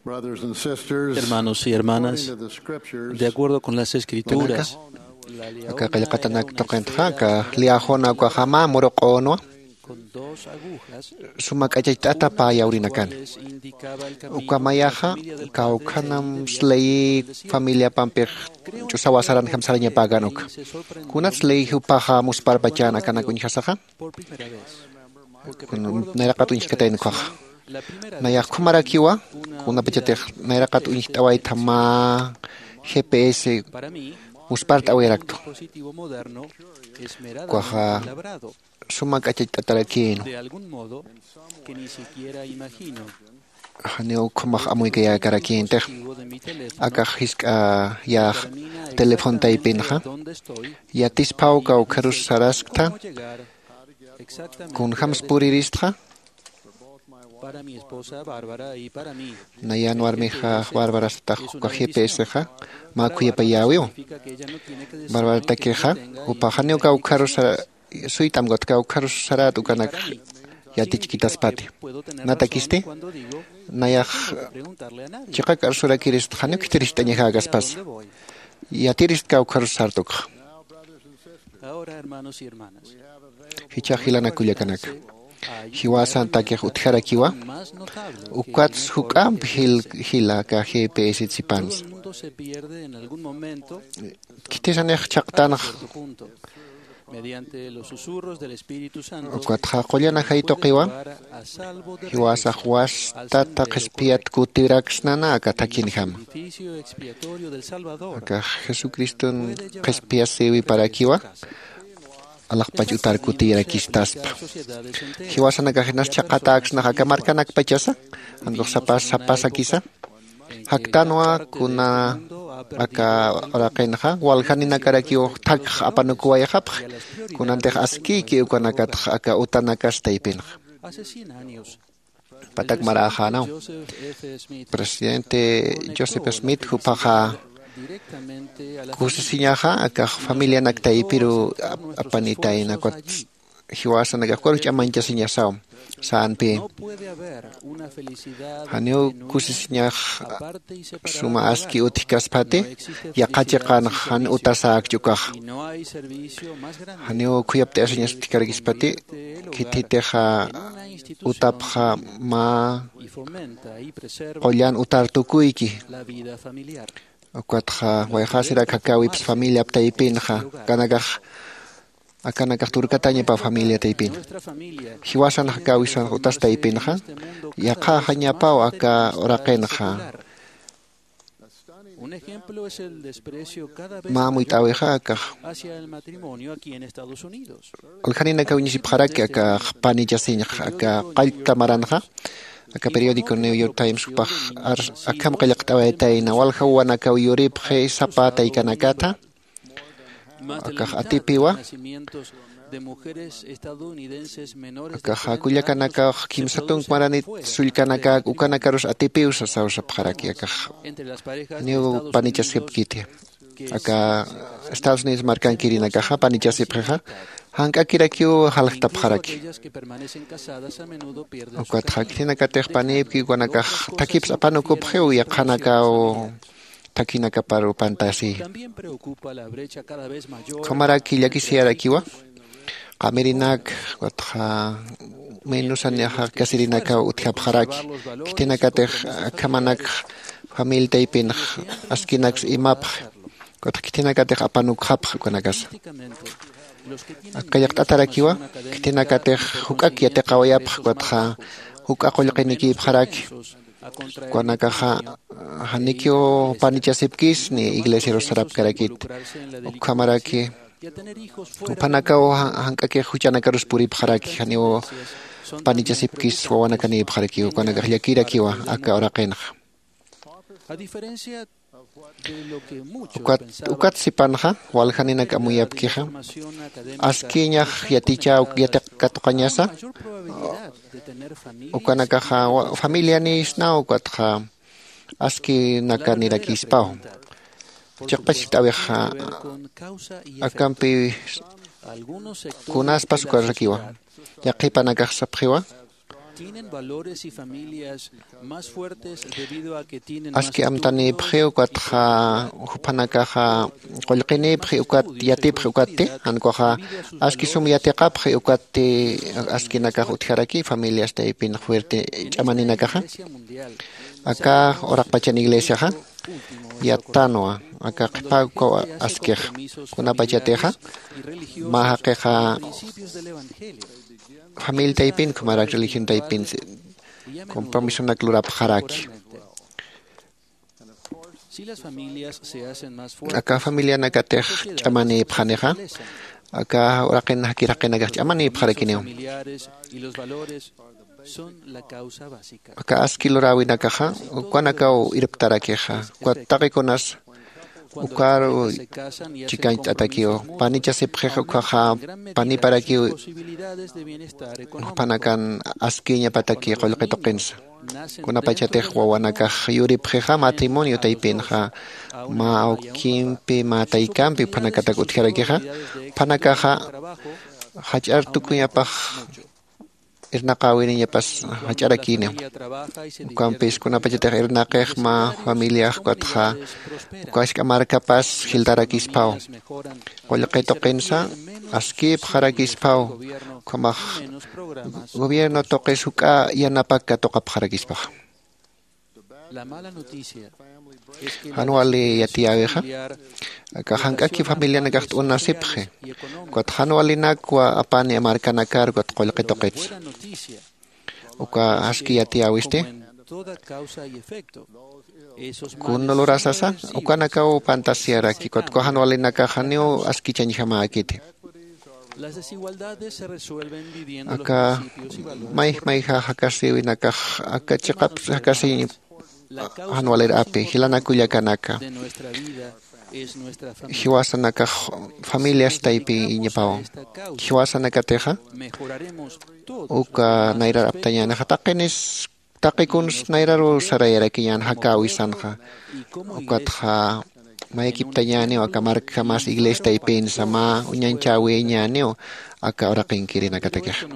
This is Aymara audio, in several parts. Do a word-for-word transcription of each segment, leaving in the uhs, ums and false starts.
Brothers and sisters, hermanos y hermanas, according to the scriptures, de acuerdo con las Escrituras, aka qillqatanak tuqintxa aka liyäxuna ukaxa mä muruq'unwa suma k'achacht'ata pä yawrinakani. Uka mayaxa kawkhanam sley familiapampix ch'usawa saranjam sarañapäkan uka. Kunat sley jupaxa musparpachan akanak uñjasaxa? Nayraqat uñjkatayn ukhaxa. Nayax ukhamarakiwa kunapachatix nayraqat uñjt'awaytha mä GPS muspart'awayaraktu. Ukaxa suma k'achacht'atarakïnwa. Janiw ukhamax amuykayäkarakïntix. Akax jisk'a yäx teléfono taypinxa yatisphaw kawkharus sarasktha, kunjams puriristxa. Nayan warmixa Bárbara satax uka GPS-xa mä khuyapayäwiw. Bárbaratakixa jupax janiw kawkharus suyt'amkut, kawkharus sarät ukanak yatichkitaspati. Natakisti nayax chiqak arsurakirist janiw khitiricht'añakäkaspasa. Yatirist kawkharus sartukxa. Jichhax jilanak kullakanaka, jiwasantakix utjarakiwa. Ukats juk'amp jila aka GPS sipansa. Khitisanix chhaqtanxa. Ukatxa qullan ajay tuqiwa jiwasax wastata qhispiyat kutiraksnana aka thakhinjama. Akax jesucriston qhispiyasïwiparakiwa. Alaxpach utar kutiyarakistaspa. Jiwasanakax jinas chhaqhatäksnax aka markanakpachasa, jankux sapas sapasakisa. Jaktanwa kuna aka uraqinxa waljaninakarakiw thakx apanukuwayxapxi. Kunantix askïki ukanakatx aka utanakas taypinxa. Patak maräxänaw, presidente Joseph Smith juphaxa kusisiñaxa akax familianak taypiru apanitayna ukat jiwasanakax ukarux ch'amañchasiñasaw. Sänpï janiw kusisiñax suma aski utjkaspati yaqha chiqanx jan utasäkch ukaxa. Janiw khuyapt'ayasiñas utjkarakispati khithitixa utapxa mä qullan utar tukuyki. Ukatxa wayxasirak jakäwips familiap taypinxa, akanakax akanakax turkatañapa familia taypin. Jiwasan jakäwisanx utas taypinxa yaqhaxañapaw aka uraqinxa. Mä amuyt'äwixa akax waljaninakaw iñisipxaraki akax panichasiñxa aka qallta maranxa. Aka periódico New York Times jupax akham qillqt'awaytayna walja wawanakaw yuripxi sapa taykanakatha. Akax atipiwa. Akaxa kullakanakax kimsa tunk maranit sullkanakak ukanakarus atipiw sasaw sapxaraki akax. Niw panichasipkiti aka estados unidos markankirinakaxa panichasipxixa jank'akirakiw jalxtapxaraki. Ukatxa khitinakatix panïpki ukanakax thakips apanukupxiw yaqhanakaw thakhinakaparu pantasi. Ukhamaraki llakisiyarakiwa qamirinak ukatxa menusan ñaxa kasirinakaw utjapxaraki. Khitinakatix akhamanak familia taypinx askinaks imapxi. Ukatxa khitinakatix apanukxapxi ukanakasa. Aka llaqt'atarakiwa khitinakatix juk'ak yatiqawayapxi ukatxa juk'a qullqinikïpxaraki. Ukanakaxa janikiw panichasipkis ni iglesiarus sarapkarakit. Ukhamaraki juphanakaw jank'akix juch'anakarus puripxaraki janiw panichasipkis wawanakanïpxarakiw ukanakax llakirakiwa aka uraqinxa. Ukat ukat sipanxa waljaninak amuyapkixa askiñax yatichäw yatiqkatuqañasa. Ukanakaxa familianïsnaw ukatxa askinakanirakispäw. Chiqpachkt'äwixa akampi kunaspas ukarakiwa yaqhipanakax sapxiwa. Aski amtanïpxi ukatxa juphanakaxa qullqinïpxi ukat yatipxi ukatti, jan ukaxa aski sum yatiqapxi ukatti askinakax utjaraki familias taypin fuerte ch'amaninakaxa. Aka uraqpachan iglesiaxa yattanwa aka qhipa ukaw askix, kunapachatixa mä jaqixa familia taypin ukhamaraki religión taypin compromisonak lurapxaraki. Aka familianakatix ch'amanïpxanixa aka uraqin jakir jaqinakax ch'amanïpxarakiniw. Aka aski luräwinakaxa ukanakaw irptarakixa ukat taqikunas ukaru chikañcht'atakiw panichasipxix ukhaxa paniparakiw jupanakan askiñapataki qullqi tuqinsa. Kunapachatix wawanakax yuripxixa matrimonio taypinxa mä awkimpi mä taykampi juphanakatak utjarakixa juphanakaxa jach'ar tukuñapax irnaqäwiniñapas jach'arakïniw. Ukampis kunapachatix irnaqix mä familiax ukatxa uka ask'a markapas jiltarakispaw qullqi tuqinsa askïpxarakispaw. Ukhamax gobierno tuqis juk'a yanapak katuqapxarakispaxa. Jan wali yatiyäwixa aka jank'aki familianakax t'unasipxi ukat jan walinakwa apani markanakar ukat qullqi tuqitsa. Uka aski yatiyäwisti kun lurasasa ukanakaw pantasiaraki ukat uka jan walinakax janiw askichañjamäkiti. Aka mayj mayja jakasïwinakax aka chiqap jakasiñ jan walir api jilanak kullakanaka jiwasanakax familias taypiñapaw. Jiwasanakatixa uka nayrar aptañänixa taqinis taqi kuns nayraru sarayarakiñän jakäwisanxa ukatxa mayakiptañäniw aka markjamas iglesia taypinsa mä uñañchäwiñäniw aka uraqinkirinakatakixa.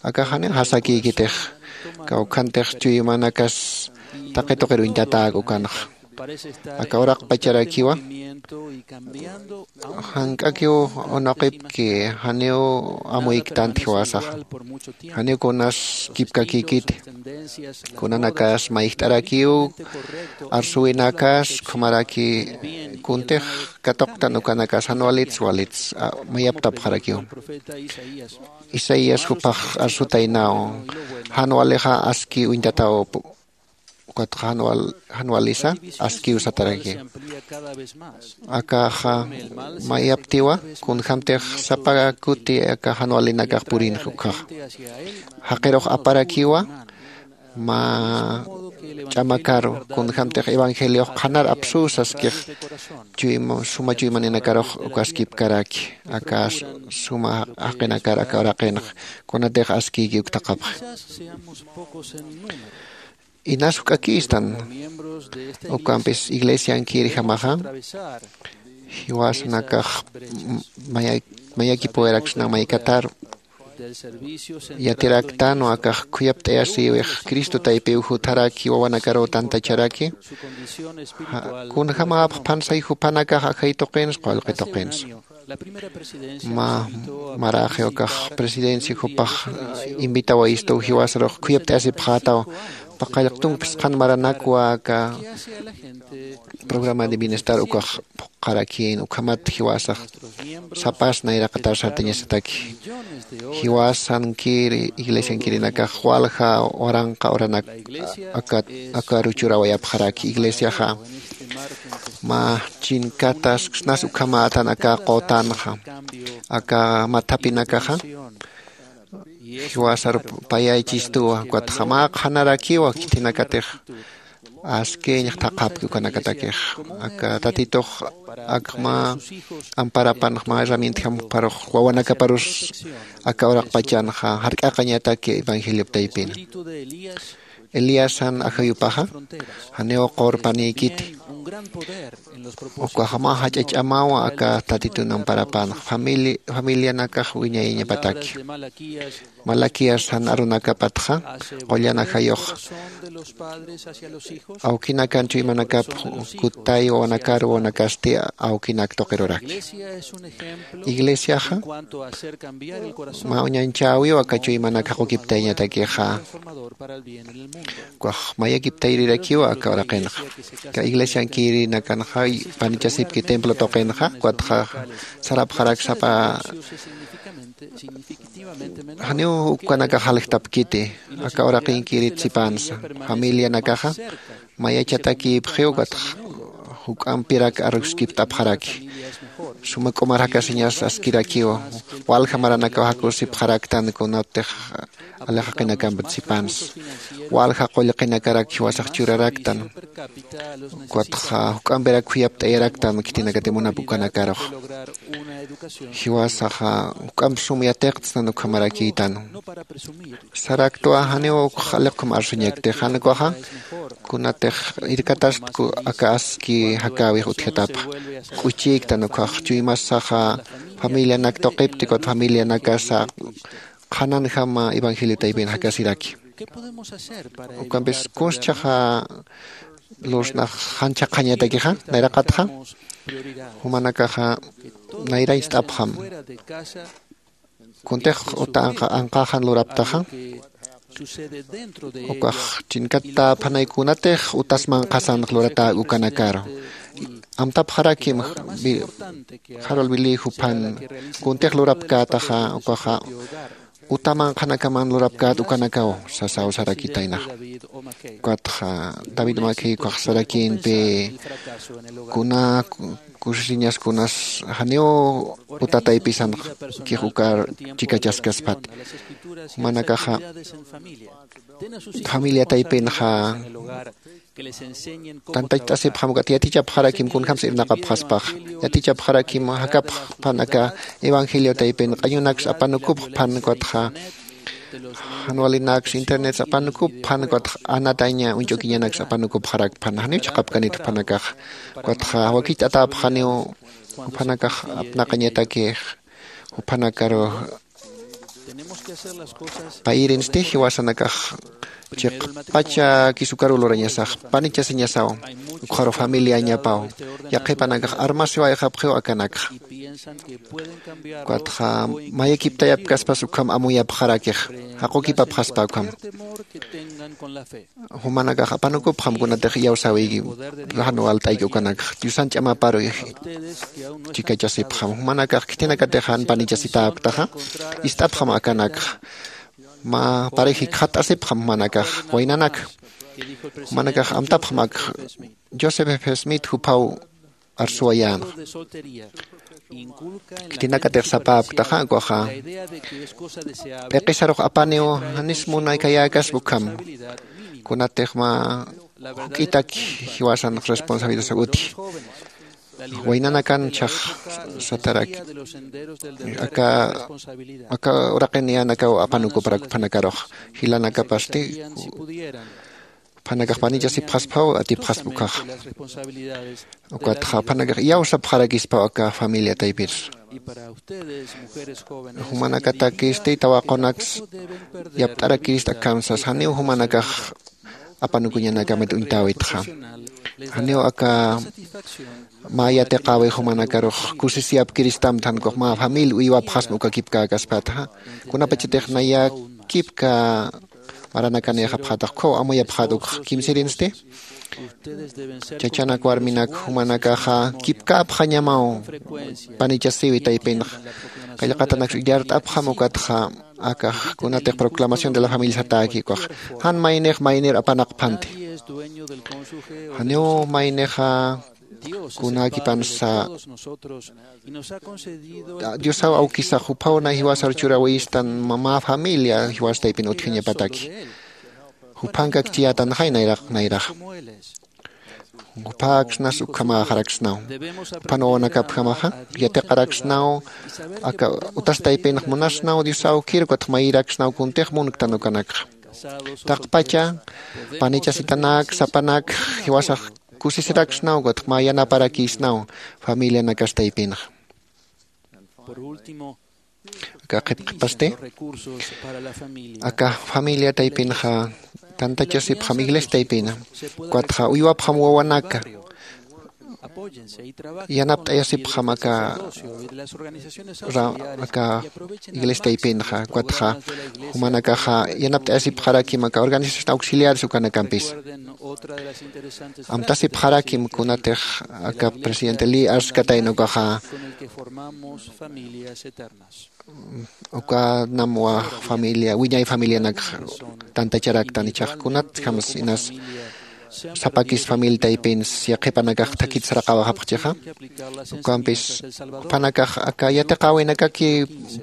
Akax janiw jasakïkitix kawkhantix chuymanakas taqi tuqir uñtatäk ukanxa aka uraqpacharakiwa jank'akiw unuqipki janiw amuyktant jiwasaxa janiw kunas kipkakïkiti kunanakas mayjt'arakiw arsuwinakas ukhamaraki kuntix katuqtan ukanakas jan walits walits mayaptapxarakiw. Isaías jupax arsutaynaw jan walixa aski uñtataw ukatxa jan walisa askiw sataraki. Akaxa mayaptiwa kunjämtix sapa kuti aka jan walinakax purinx ukhaxa jaqirux aparakiwa mä ch'amakaru kunjämtix evangeliox qhanar apsuw saskix suma chuymaninakarux ukaskipkaraki aka suma jaqinakar aka uraqinx kunatix askïki uktaqapxi. Inas juk'akïstan ukampis iglesiankirjamaxa jiwasanakax mayakipuwayraksna maykataru yatiraktanwa akax khuyapt'ayasïwix cristo taypiw jutharaki wawanakaruw tantacharaki kunjämäpx phansay juphanakax ajay tuqinsa qullqi tuqinsa. Mä maraxi ukax presidencia jupax invitawayistuw jiwasarux khuyapt'ayasipxätaw paqallq tunkpis qhan maranakwa aka programa de bienestar ukax phuqharakïn ukhamat jiwasax sapas nayraqatar sartañasataki jiwasankiri iglesiankirinakax walja waranqa uranak aka ruchurawayapxaraki iglesiaxa mä chinkataskisnas ukhamätan aka qutanxa aka mathapinakaxa jiwasar payaychistuwa ukatxa mä qhanarakiwa khitinakatix askiñ thaqhapki ukanakatakix aka tatitux akma amparapanx mä herramientjamparux wawanakaparus aka uraqpachanxa jark'aqañataki evangeliop taypina. Eliasan ajayupaxa janiw qurpanïkiti Ukaxa mä jach'a ch'amaw aka tatitun amparapan familianakax wiñayañapataki. Malaquías jan arunakapatxa qullan ajayux awkinakan chuymanakap kutay wawanakar wawanakasti awkinak tuqiruraki. Iglesiaxa mä uñanchäwiw aka chuymanak jaqukiptayañatakixa. Ukax mayakiptayrirakiw aka uraqinxa. Aka iglesiankirinakanxa panichasipki templo tuqinxa ukatxa sarapxarak sapa janiw ukanakax jaljtapkiti. Aka uraqinkirit sipansa familianakaxa mayachatakïpxiw ukatxa juk'ampirak aruskipt'apxaraki. Suma k'umar jakasiñas askirakiw walja maranakaw jakusipxaraktan kunatix alixaqinakampat sipansa walja qullqinakarak jiwasax churaraktan. Ukatxa juk'ampirak khuyapt'ayaraktan khitinakati munap ukanakarux jiwasaxa juk'amp sum yatiqtsnan ukhamarakïtan. Saraktwa janiw ukx aliqkhum arsuñakti jan ukaxa kunatix irkatast aka aski jakäwix utjatapxa k'uchïktan ukkhax chuymasaxa familianak tuqipti ukat familianakasa qhananjama evangelio taypin jakasiraki. Ukampis kunschaxa lursnax jan chhaqhañatakixa nayraqatxa jumanakaxa nayrañcht'apxam. Kuntix uta anqaxan luraptaxa ukax chinkatäphanay kunatix utas manqhasanx luratäk ukanakaru amtapxarakim jarul wilï juphan kuntix lurapkätaxa ukaxa uta manqhanakaman lurapkät ukanakaw sasaw sarakitaynax. Ukatxa david makhiy ukax sarakïnpi kuna kusisiñas kunas janiw uta taypisanx kix ukar chikachaskaspati jumanakaxa familia taypinxa tantachasipxam ukat yatichapxarakim kunjams irnaqapxaspax yatichapxarakim jakapxpan aka evangelio taypin q'añunaks apanukupxpan ukatxa janwalinaks internets apanukupxpan ukatxa anataña uñch'ukiñanaks apanukupxarakpan janiw chhaqapkanit juphanakax. Ukatxa wakicht'atäpxaniw juphanakax apnaqañatakix juphanakaru payirinsti jiwasanakax chiqpacha kisukaru lurañasax panichasiñasaw ukxaru familiañapaw yaqhipanakax armasiwayxapxiw akanakxa. Ukatxa mayakiptayapkaspas ukham amuyapxarakix jaqukipapxaspa ukham jumanakax apanukupxam kunatix iyawsäwiyki jan walt'ayki ukanakxa diosan ch'amaparu chikachasipxam jumanakax khitinakatix jan panichasitäpktaxa ist'apxam akanakxa mä parix jikxatt'asipxam jumanakax waynanak jumanakax amtapxam ak joseph f smith juphaw arsuwayänxa. Khitinakatix sapäpktaxa ukaxa p'iqisarux apaniw janis munaykayäkaspa ukham kunatix mä juk'itak jiwasan responsabilidad utji waynanakan chhax satarak aka aka uraqiniyänakaw apanukuparak uphanakarux jilanakapasti juphanakax panichasipxasphaw atipxaspa ukhaxa. Ukatxa juphanakax iyawsapxarakispaw aka familia taypir jumanakatakisti tawaqunaks yapt'arakirist akamsas janiw jumanakax apanukuñanakamit uñtäwitxa. Janiw aka mä yatiqäwi jumanakarux kusisiyapkiristamti jan ukax mä familia uywapxasma uka kipkäkaspatxa kunapachatix naya kipka maranakanïxapxätax ukkhaw amuyapxät ukx kimsirinsti. Chachanak warminak jumanakaxa kipkäpxañamaw panichasiwi taypinxa. Qillqatanaksa illart'apxam ukatxa akax kunatix proclamación de la familia satäki ukax jan maynix maynir apanaqphanti. Janiw maynixa kunäkipansa diosaw awkisax juphaw nay jiwasar churäwistan mä familia jiwas taypin utjañapataki juphankakchiyätanxay nayraq nayraxa. Juphaksnas ukhamäxaraksnaw juphan wawanakapjamaxa yatiqaraksnaw aka utas taypinx munasnaw diosaw kirkutx mayiraksnaw kuntix munktan ukanakxa. Taqpacha panichasitanak sapanak jiwasax kusisiraksnaw, ukatxa mä yanaparakïsnaw familianakas taypinxa. Aka qhipqhipasti, aka familia taypinxa tantachasipxam iglesia taypina, ukatxa uywapxam wawanaka, yanapt'ayasipxam aka ra- aka iglesia taypinxa, ukatxa jumanakaxa yanapt'ayasipxarakim aka organización auxiliares ukanakampis. Amtasipxarakim kunatix aka presidente Lee arskatayna ukaxa, ukanam wä familia, wiñay familianakx tantacharaktan, ichax kunatjams inas sapakis familia taypins yaqhipanakax thakit saraqawayapxchixa. Ukampis jupanakax aka yatiqäwinakaki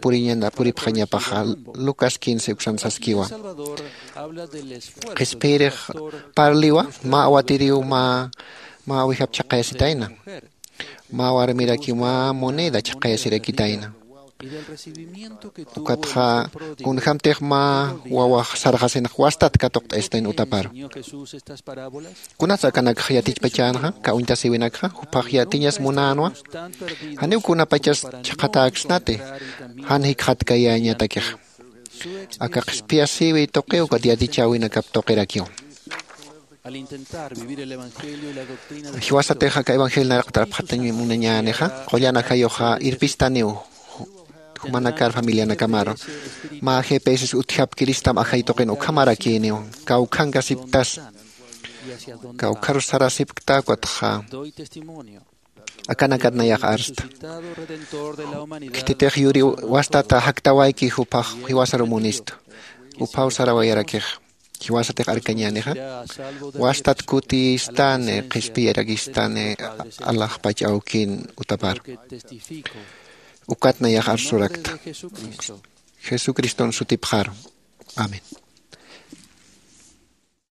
puriñana puripxañapaxa. Lucas quince uksan saskiwa. Qhispiyirix parliwa mä awatiriw mä mä awijap chhaqayasitayna, mä warmirakiw mä moneda chhaqayasirakitayna. Ukatxa kunjämtix mä wawax sarxasinx wastat katuqt'ayasitayna utaparu. Kunats akanakxa yatichpachänxa aka uñtasïwinakxa? Juphax yatiñas munänwa, janiw kunapachas chhaqhatäksnati jan jikxatkayäñatakixa. Aka qhispiyasïwi tuqiw ukat yatichäwinakap tuqirakiw. Jiwasatix aka evangelio naraqtarapxatañ munañänixa, qullan ajayuxa irpistaniw jumanakar familianakamaru. Mä jipïsis utjapkiristam ajay tuqin ukhamarakïniw, kawkhankasipktas, kawkharus sarasipkta ukatxa akanakat nayax arsta. Khititix yuriw wastata jaktawayki juphax jiwasaru munistu. Juphaw sarawayarakixa. Jiwasatix arkañänixa, wastat kutiyistani qhispiyarakistani alaxpach awkin utapar. Ukat nayax arsurakta jesucriston sutipxaru. Amén.